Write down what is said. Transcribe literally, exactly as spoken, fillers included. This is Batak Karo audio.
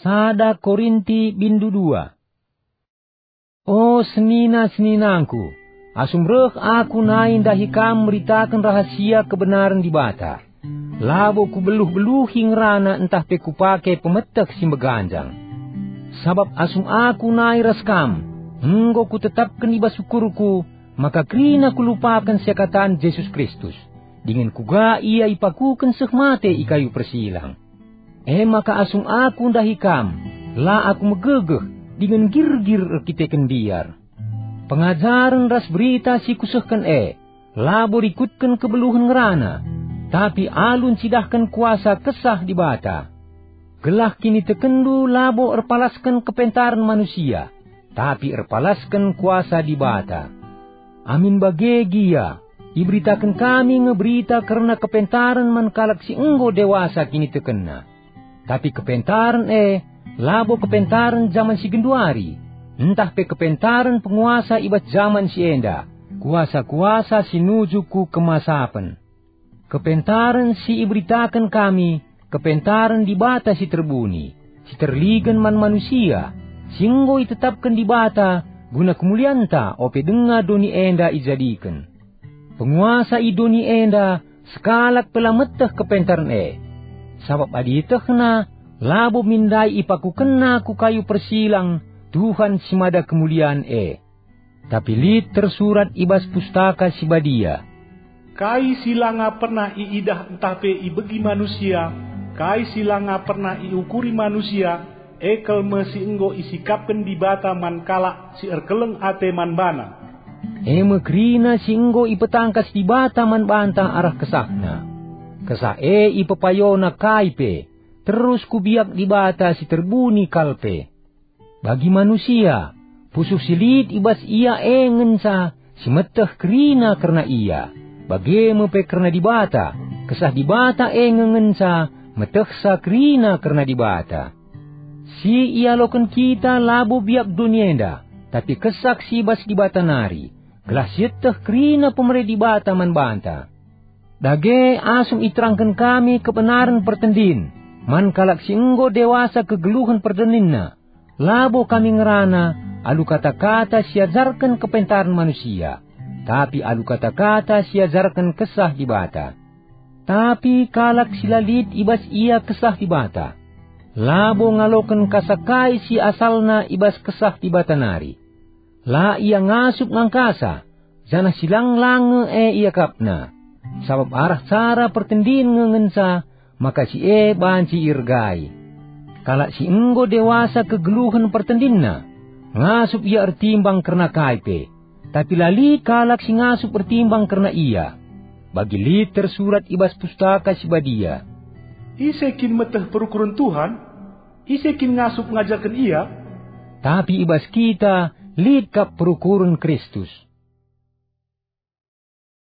Sada Korinti bindu dua. O senina-seninangku, asum reh aku nai ndahi kam meritaken rahasia kebenaren Dibata, labo kubeluh-beluhi ngerana ntah pe kupake pemeteh si meganjang. Sabap asum aku nai ras kam, enggo kutetapken i bas ukurku maka kerina kulupaken seakatan Jesus Kristus, dingen kuga ia ipakuken seh mate i kayu persilang. E maka asum aku ndahi kam, la aku megegeh dingen girgir erkiteken mbiar. Pengajaren ras berita si kusehken e, labo rikutken kebeluhen ngerana, tapi alu ncidahken kuasa Kesah Dibata. Gelah kinitekenndu labo erpalasken kepentaren manusia, tapi erpalasken kuasa Dibata. Amin bage gia, iberitaken kami nge berita kerna kepentaren man kalak si enggo dewasa kinitekenna. Tapi kepentaren e labo kepentaren jaman si genduari, ntah pe kepentaren penguasa i bas jaman si enda, kuasa-kuasa si nuju ku kemasapen. Kepentaren si iberitaken kami, kepentaren Dibata si terbuni, si terligen man manusia, si enggo itetapken Dibata guna kemulianta ope denga doni enda ijadiken. Penguasa i doni enda sekalak pe la meteh kepentaren e. Sabap adi ietehna, labo min ndai ipakukenna ku kayu persilang Tuhan si mada kemulian e. Tapi lit tersurat i bas Pustaka Si Badia, "Kai si langa pernah iidah ntah pe ibegi manusia, kai si langa pernah iukuri manusia, e kal me si enggo isikapken Dibata man kalak si erkeleng ate man baNa." E me kerina si enggo ipetangkas Dibata man banta arah KesahNa. Kesah e ipepayona kai pe, terus ku biak Dibata si terbuni kal pe. Bagi manusia, pusuh si lit i bas ia e ngenca si meteh kerina kerna ia, bage me pe kerna Dibata, Kesah Dibata e nge ngenca metehsa kerina kerna Dibata. Si ialoken kita labo biak doni enda, tapi Kesah si i bas Dibata nari, gelah sieteh kerina pemere Dibata man banta. Dage asum iterangken kami kebenaren pertendin man kalak si enggo dewasa kegeluhen pertendinna, labo kami ngerana alu kata-kata si ajarken kepentaren manusia, tapi alu kata-kata si ajarken Kesah Dibata. Tapi kalak si la lit i bas ia Kesah Dibata, labo ngaloken kasa kai si asalna i bas Kesah Dibata nari. La ia ngasup ngangkasa, janah si lang-lang nge e iakapna. Sabap arah cara pertendin nge ngenca maka si e banci iergai. Kalak si enggo dewasa kegeluhen pertendinna, ngasup ia ertimbang kerna kai pe, tapi la lit kalak si ngasup ertimbang kerna ia. Bagi lit tersurat i bas Pustaka Si Badia, "Ise kin meteh perukuren Tuhan? Ise kin ngasup ngajarken Ia?" Tapi i bas kita lit kap perukuren Kristus.